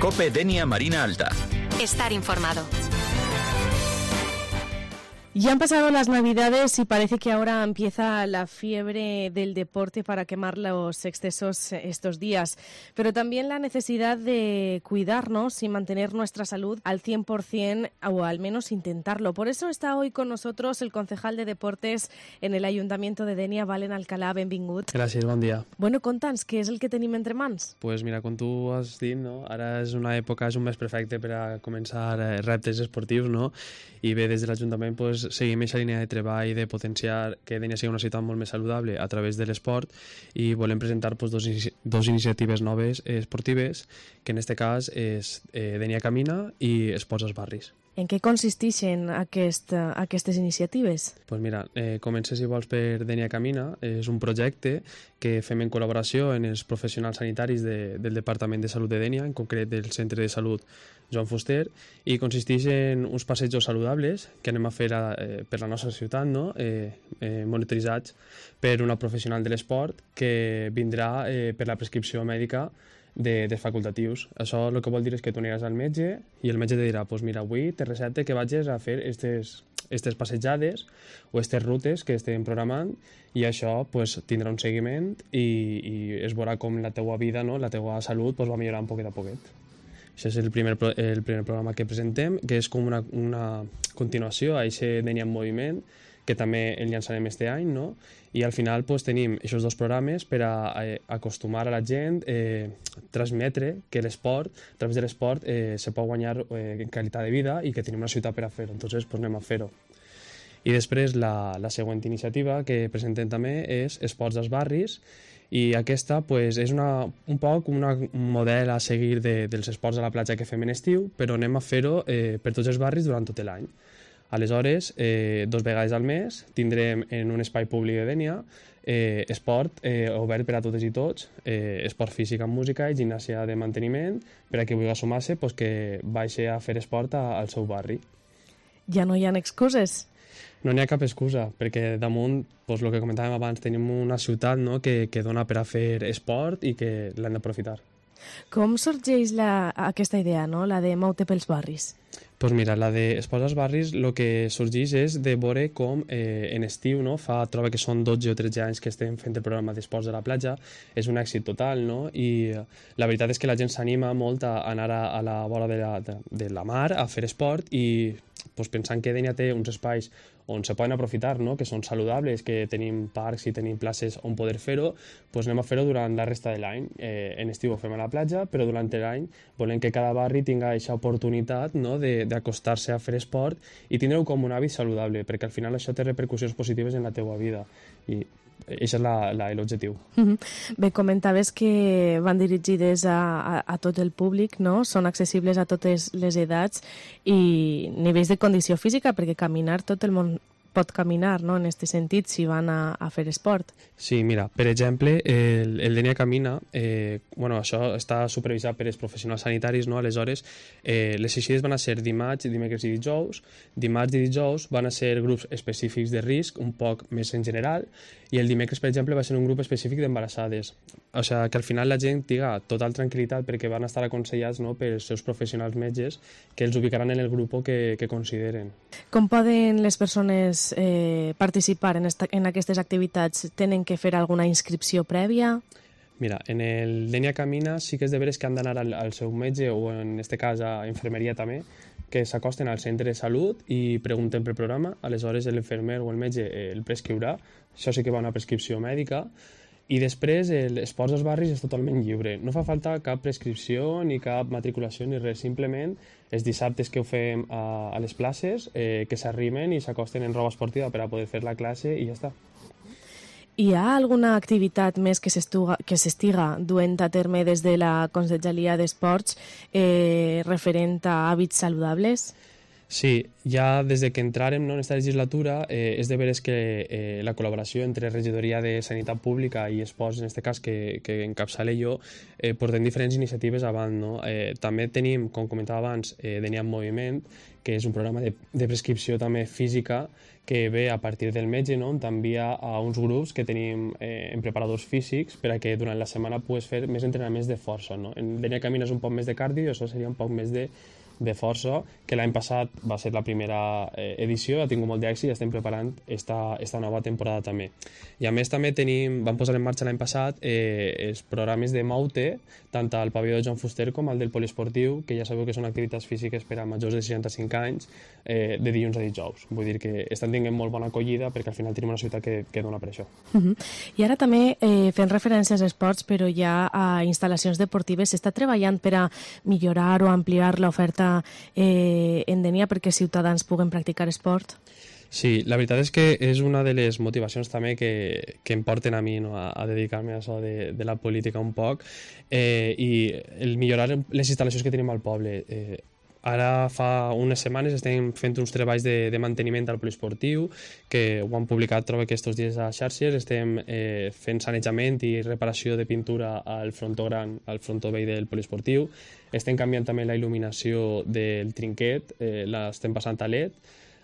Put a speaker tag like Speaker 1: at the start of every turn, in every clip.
Speaker 1: COPE Denia Marina Alta.
Speaker 2: Estar informado.
Speaker 3: Ya han pasado las Navidades y parece que ahora empieza la fiebre del deporte para quemar los excesos estos días, pero también la necesidad de cuidarnos y mantener nuestra salud al 100% o al menos intentarlo. Por eso está hoy con nosotros el concejal de Deportes en el Ayuntamiento de Dénia, Valen Alcalà. Benvingut.
Speaker 4: Gràcies, bon dia.
Speaker 3: Bueno, conta'ns, què és el que tenim entre mans?
Speaker 4: Pues mira, com tu has dit, no? Ara és una època, és un mes perfecte per a començar reptes esportius, no? I bé, des de l'Ajuntament pues, seguim aquesta línia de treball de potenciar que Dénia sigui una ciutat molt més saludable a través de l'esport i volem presentar pues, dos iniciatives noves esportives, que en aquest cas és Dénia Camina i Esports als Barris.
Speaker 3: En què consisteixen aquestes iniciatives?
Speaker 4: Pues mira, comença si vols per Dénia Camina. És un projecte que fem en col·laboració amb els professionals sanitaris del Departament de Salut de Dénia, en concret del Centre de Salut Joan Fuster, i consisteix en uns passejos saludables que anem a fer per la nostra ciutat, no? Monitoritzats per una professional de l'esport que vindrà per la prescripció mèdica dels facultatius. Això el que vol dir és que tu aniràs al metge i el metge te dirà pues mira, avui te recepte que vagis a fer aquestes passejades o aquestes rutes que estem programant i això pues, tindrà un seguiment i es veurà com la teua vida, no? La teua salut pues, va millorar un poquet a poquet. Això és el primer programa que presentem, que és com una continuació a aquest Dénia en Moviment, que també el llançarem este any, no? I al final pues, tenim aquests dos programes per a acostumar a la gent, transmetre que l'esport, a través de l'esport, se pot guanyar qualitat de vida i que tenim una ciutat per a fer-ho, entonces pues, anem a fer-ho. I després la següent iniciativa que presentem també és Esports als Barris, i aquesta pues, és un poc un model a seguir dels esports a la platja que fem en estiu, però anem a fer-ho per tots els barris durant tot l'any. Aleshores, 2 vegades al mes tindrem en un espai públic de Dénia esport obert per a totes i tots, esport físic amb música i gimnàsia de manteniment per a qui vulgui sumar-se pues, que vagi a fer esport al seu barri.
Speaker 3: Ja no hi ha excuses?
Speaker 4: No n'hi ha cap excusa, perquè damunt, doncs, el que comentàvem abans, tenim una ciutat, no?, que dona per a fer esport i que l'hem d'aprofitar.
Speaker 3: Com sorgeix aquesta idea, no?, la de Moute pels barris?
Speaker 4: Doncs mira, la d'Esports als Barris el que sorgeix és de veure com en estiu, no? Troba que són 12 o 13 anys que estem fent el programa d'esports de la platja, és un èxit total, no? I la veritat és que la gent s'anima molt a anar a la vora de la mar a fer esport i doncs, pensant que Dénia té uns espais on se poden aprofitar, no? Que són saludables, que tenim parcs i tenim places on poder fer-ho, doncs anem a fer-ho durant la resta de l'any. En estiu ho fem a la platja, però durant l'any volem que cada barri tinga aquesta oportunitat, no? d'acostar-se a fer esport i tindre-ho com un hàbit saludable, perquè al final això té repercussions positives en la teua vida i això és l'objectiu.
Speaker 3: Bé, comentaves que van dirigides a tot el públic, no? Són accessibles a totes les edats i nivells de condició física, perquè caminar tot el món pot caminar, no?, en aquest sentit, si van a fer esport.
Speaker 4: Sí, mira, per exemple, el Dénia Camina, això està supervisat per els professionals sanitaris, no? Aleshores, les eixides van a ser dimarts, dimecres i dijous. Dimarts i dijous van a ser grups específics de risc, un poc més en general, i el dimecres, per exemple, va ser un grup específic d'embarassades. O sigui, que al final la gent tinga total tranquil·litat perquè van estar aconsellats, no?, pels seus professionals metges que els ubicaran en el grup que consideren.
Speaker 3: Com poden les persones participar en aquestes activitats? Tenen que fer alguna inscripció prèvia?
Speaker 4: Mira, en el Dénia Camina sí que és de veres que han d'anar al seu metge o en aquest cas a infermeria també, que s'acosten al centre de salut i pregunten pel programa, aleshores l'infermer o el metge el prescriurà, això sí que va a una prescripció mèdica, i després l'Esports als Barris és totalment lliure. No fa falta cap prescripció ni cap matriculació ni res, simplement els dissabtes que ho fem a les places, que s'arrimen i s'acosten en roba esportiva per a poder fer la classe i ja està.
Speaker 3: Hi ha alguna activitat més que s'estiga duent a terme des de la Conselleria d'Esports referent a hàbits saludables?
Speaker 4: Sí, ja des de que entràrem en aquesta legislatura és de veres que la col·laboració entre Regidoria de Sanitat Pública i Esports, en aquest cas que encapçale jo, portem diferents iniciatives avant. No? També tenim, com comentava abans, Denia en Moviment, que és un programa de prescripció també física que ve a partir del metge, no? On t'envia a uns grups que tenim en preparadors físics per a que durant la setmana puguis fer més entrenaments de força. No? En Denia Camina és un poc més de cardio i això seria un poc més de força, que l'any passat va ser la primera edició, ha tingut molt d'èxit i estem preparant esta nova temporada també. I a més també vam posar en marxa l'any passat els programes de Maute, tant al pavelló de Joan Fuster com al del poliesportiu, que ja sabeu que són activitats físiques per a majors de 65 anys, de dilluns a dijous. Vull dir que estan tinguent molt bona acollida perquè al final tenim una ciutat que dona per això.
Speaker 3: I ara també fent referències a esports, però ja a instal·lacions deportives, s'està treballant per a millorar o ampliar l'oferta en Denia perquè ciutadans puguen practicar esport?
Speaker 4: Sí, la veritat és que és una de les motivacions també que em porten a mi, no? a dedicar-me a això de la política un poc, i el millorar les instal·lacions que tenim al poble. Ara fa unes setmanes estem fent uns treballs de manteniment al poliesportiu, que ho han publicat, trobo que estos dies a xarxes. Estem fent sanejament i reparació de pintura al frontó gran, al frontó vell del poliesportiu. Estem canviant també la il·luminació del trinquet, l'estem passant a LED.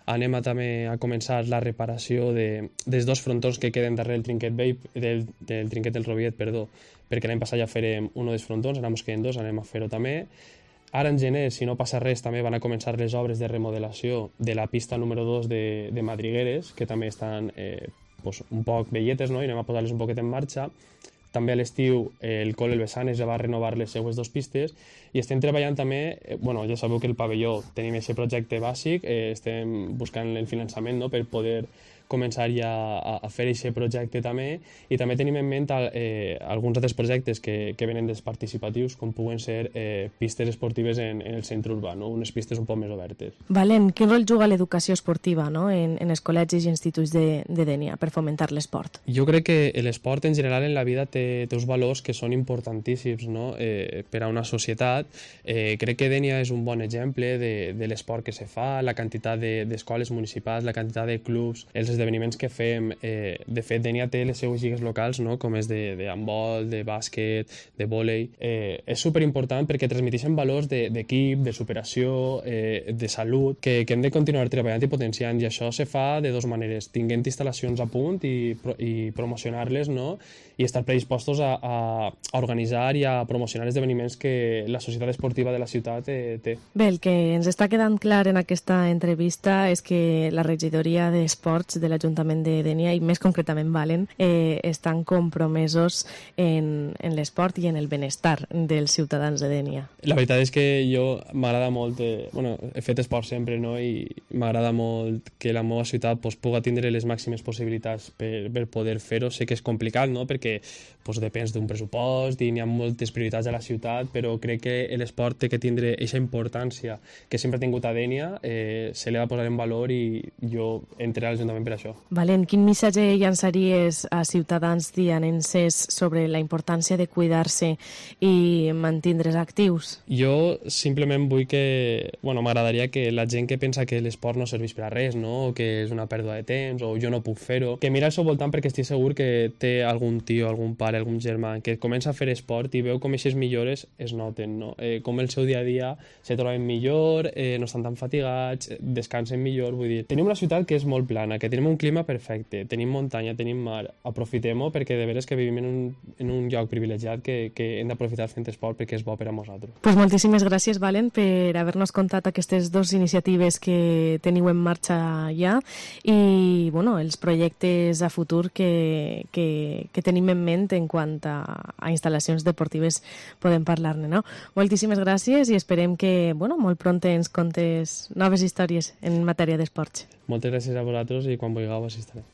Speaker 4: Anem també a començar la reparació dels dos frontons que queden darrere del trinquet vell, del trinquet del Roviet, perquè l'any passat ja farem un dels frontons, ara ens queden dos, anem a fer-ho també. Ara en gener, si no passa res, també van a començar les obres de remodelació de la pista número 2 de Madrigueres, que també estan un poc velletes, no? I anem a posar-les un poquet en marxa. També a l'estiu el Col·le El Bessanes ja va renovar les seues dues pistes i estem treballant també, ja sabeu que el pavelló tenim aquest projecte bàsic, estem buscant el finançament, no? Per poder començar ja a fer aquest projecte també, i també tenim en ment alguns altres projectes que venen dels participatius, com puguen ser pistes esportives en el centre urbà, no? Unes pistes un poc més obertes.
Speaker 3: Valent, quin rol juga l'educació esportiva, no? en els col·legis i instituts de Denia per fomentar l'esport?
Speaker 4: Jo crec que l'esport en general en la vida té uns valors que són importantíssims, no? Per a una societat. Crec que Denia és un bon exemple de l'esport que se fa, la quantitat d'escoles municipals, la quantitat de clubs, els esdeveniments que fem. De fet, Denia té les seues lligues locals, no? Com és de handbol, de bàsquet, de vòlei. És superimportant perquè transmeteixen valors d'equip, de superació, de salut, que hem de continuar treballant i potenciant, i això se fa de dues maneres, tinguent instal·lacions a punt i promocionar-les, no? I estar predispostos a organitzar i a promocionar esdeveniments que la societat esportiva de la ciutat té.
Speaker 3: Bé, el que ens està quedant clar en aquesta entrevista és que la regidoria d'Esports de l'Ajuntament de Denia, i més concretament Valent, estan compromesos en l'esport i en el benestar dels ciutadans de Denia.
Speaker 4: La veritat és que jo m'agrada molt, he fet esport sempre, no? I m'agrada molt que la meva ciutat pugui tindre les màximes possibilitats per poder fer-ho. Sé que és complicat, no? Perquè depèn d'un pressupost i n'hi ha moltes prioritats a la ciutat, però crec que l'esport té que tindre aquesta importància que sempre ha tingut a Denia, se l'ha de posar en valor, i jo entraré a l'Ajuntament per això.
Speaker 3: Valent, quin missatge llançaries a ciutadans dianenses sobre la importància de cuidar-se i mantindre's actius?
Speaker 4: Jo simplement vull que, m'agradaria que la gent que pensa que l'esport no serveix per a res, no? O que és una pèrdua de temps, o jo no puc fer-ho, que mira al seu voltant, perquè estic segur que té algun tio, algun pare, algun germà que comença a fer esport i veu com aquestes millores es noten, no? Com el seu dia a dia se troben millor, no estan tan fatigats, descansen millor. Vull dir, tenim una ciutat que és molt plana, que tenim un clima perfecte, tenim muntanya, tenim mar, aprofitem-ho, perquè de veres que vivim en un lloc privilegiat que hem d'aprofitar fent esport perquè és bo per a nosaltres.
Speaker 3: Pues moltíssimes gràcies, Valent, per haver-nos contat aquestes dues iniciatives que teniu en marxa ja, i els projectes a futur que tenim en ment en quant a instal·lacions deportives podem parlar-ne, no? Moltíssimes gràcies i esperem que, molt pront ens contes noves històries en matèria d'esports.
Speaker 4: Moltes gràcies a vosaltres i quan vulgueu assistiré.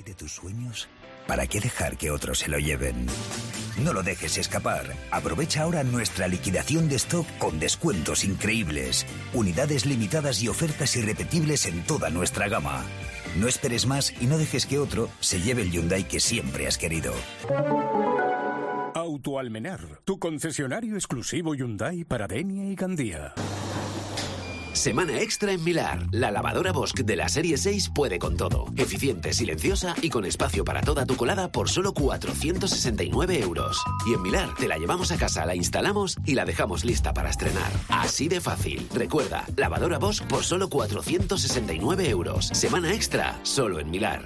Speaker 1: De tus sueños, ¿para qué dejar que otros se lo lleven? No lo dejes escapar. Aprovecha ahora nuestra liquidación de stock con descuentos increíbles, unidades limitadas y ofertas irrepetibles en toda nuestra gama. No esperes más y no dejes que otro se lleve el Hyundai que siempre has querido.
Speaker 2: Autoalmenar, tu concesionario exclusivo Hyundai para Denia y Gandía.
Speaker 5: Semana extra en Milar. La lavadora Bosch de la serie 6 puede con todo. Eficiente, silenciosa y con espacio para toda tu colada por solo 469 euros. Y en Milar te la llevamos a casa, la instalamos y la dejamos lista para estrenar. Así de fácil. Recuerda, lavadora Bosch por solo 469 euros. Semana extra, solo en Milar.